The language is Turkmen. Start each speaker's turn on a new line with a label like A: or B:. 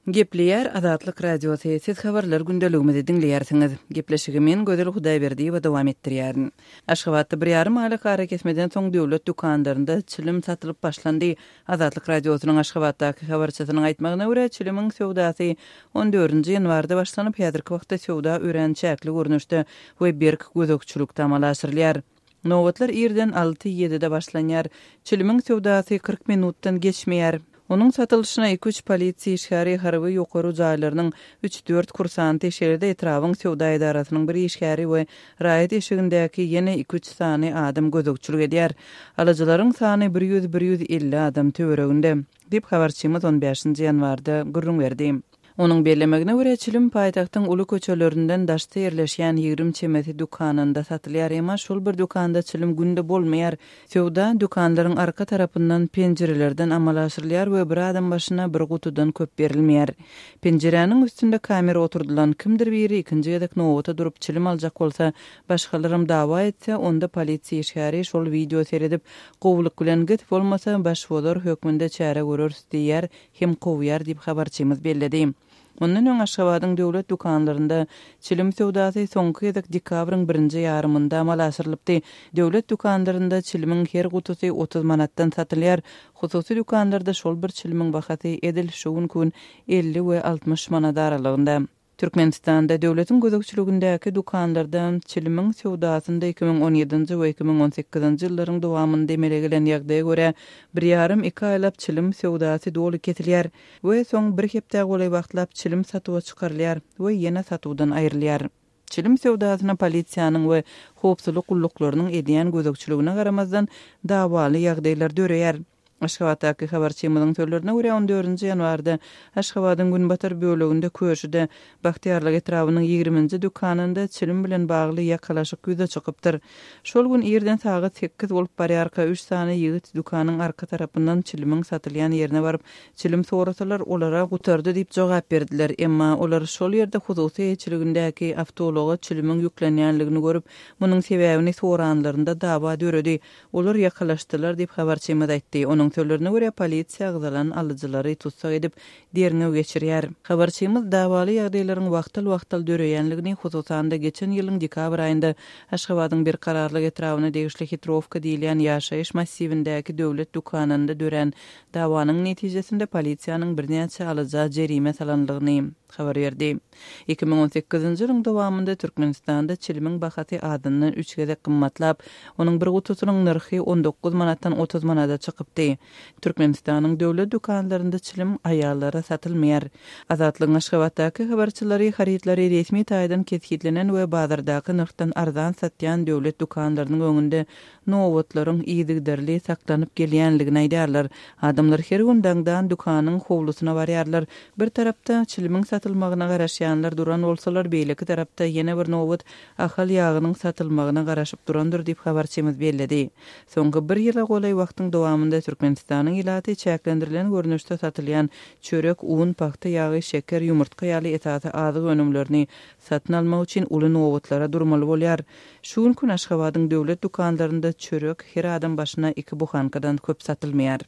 A: Gepleýär Azatlyk Radiosy, Siz habarlar gündeligimizi diňleýärsiňiz. Gepleşigi men, Gözel Hudaýberdiýewa dowam etdirýärin. Aşgabatda bir ýarym aýlyk arakesmeden soň döwlet dükanlarynda çilim satylyp başlandy. Azatlyk Radiosynyň Aşgabatdaky habarçysynyň aýtmagyna görä, çilimiň söwdasy on dördünji ýanwarda başlanyp, häzirki wagtda söwda örän çäkli görnüşde we berk gözegçilikde amala aşyrylýar. Nobatlar irden alty-ýedide başlanýar. Çilimiň söwdasy 40 minutdan geçmeýär. Onuň satylyşyna iki-üç polisiýa işgäri, harby ýokary jaýlarynyň üç-dört kursanty, şeýle-de etrabyň söwda edarasynyň bir işgäri we raýat eşigindäki ýene iki-üç sany adam gözegçilik edýär. Alyjylaryň sany bir ýüz-bir 150 adam töwereginde, diýip, habarçymyz on bäşinji ýanwarda gürrüň berdi. Onuň bellemegine görä, çilim paýtagtyň uly köçelerinden daşda ýerleşýän 20 çemesi dükanynda satylýar, emma şol bir dükanda çilim günde bolmaýar. Söwda dükanlaryň arka tarapyndan penjirelerden amala aşyrylýar we bir adam başyna bir gutudan köp berilmeýär. Penjiräniň üstünde kamera oturdylan, kimdir biri ikinji gezek nobata durup çilim aljak bolsa, başgalaram dawa etse, onda polisiýa işgäri şol wideo seredip, gowulyk bilen git, bolmasa başbozar hökmünde çäre göreris diýýär hem kowýar diýip, habarçymyz belledi. Mundan öň Aşgabadyň döwlet dükanlarynda çilim söwdasy soňky gezek dekabryň birinji ýarymynda amala aşyrylypdy. Döwlet dükanlarynda çilimiň her gutusy 30 manatdan satylýar. Hususy dükanlarda şol bir çilimiň bahasy edil şu günki gün 50 we 60 manat aralygynda. Türkmenistanda döwletiň gözegçiligindäki dükanlarda çilimiň söwdasynda 2017-nji we 2018-nji ýyllaryň dowamynda emele gelen ýagdaýa görä, bir ýarym-iki aýlap çilim söwdasy doly kesilýär we soň bir hepdä golaý wagtlap çilim satuwa çykarylýar we ýene satuwdan aýrylýar. Çilim söwdasyna polisiýanyň we howpsuzlyk gulluklarynyň edýän gözegçiligine garamazdan, dawaly ýagdaýlar döreýär. Aşgabatdaky habarçymyzyň sözlerine görä, on dördünji ýanwarda Aşgabadyň günbatar böleginde Köşüde, Bagtyýarlyk etrabynyň ýigriminji dükanynda çilim bilen bagly ýakalaşyk ýüze çykypdyr. Şol gün irden sagat sekiz bolup barýarka, üç sany ýigit dükanyň arka tarapyndan çilimiň satylýan ýerine baryp, çilim sorasalar, olara gutardy diýip jogap berdiler. Emma olar şol ýerde hususy eýeçiligindäki awtoulaga çilimiň ýüklenýänligini görüp, munuň sebäbini soranlarynda dawa döredi. Olar ýakalaşdylar diýip, habarçymyz aýtdy. Onuň sözlerine görä, polisiýa agzalan alyjylary tussag edip, derňew geçirýär. Habarçymyz dawaly ýagdaýlaryň wagtal-wagtal döreýänligini, hususan-da, geçen ýylyň dekabr aýynda Aşgabadyň Berkararlyk etrabyna degişli Hitrowka diýilýän ýaşaýyş massiwindäki döwlet dükanynda dörän dawanyň netijesinde polisiýanyň birnäçe alyja jerime salanlygyny habar berdi. 2018-nji ýylyň dowamynda Türkmenistanda çilimiň bahasy azyndan üç gezek gymmatlap, onuň bir gutusynyň nyrhy 19 manatdan 30 manada çykypdy. Türkmenistanyň döwlet dükanlarynda çilim aýallara satylmaýar. Azatlygyň Aşgabatdaky habarçylary harytlary resmi taýdan kesgitlenen we bazardaky nyrhdan arzan satýan döwlet dükanlarynyň öňünde nobatlaryň yzygiderli saklanyp gelýänligini aýdýarlar. Adamlar her gün daňdan dükanyň howlusyna barýarlar. Bir tarapda çilimiň satylmagyna garaşýanlar duran bolsalar, beýleki tarapda ýene bir nobat Ahal ýagynyň satylmagyna garaşyp durandyr diýip, habarçymyz belledi. Soňky bir ýyla golaý wagtyň dowamynda Türkmenistanyň ilaty çäklendirilen görnüşde satylýan çörek, un, pagta ýagy, şeker, ýumurtga ýaly esasy azyk önümlerini satyn almak üçin uly nobatlara durmaly bolýar. Şu günki gün Aşgabadyň döwlet dükanlarynda çörek her adam başyna iki buhankadan köp satylmaýar.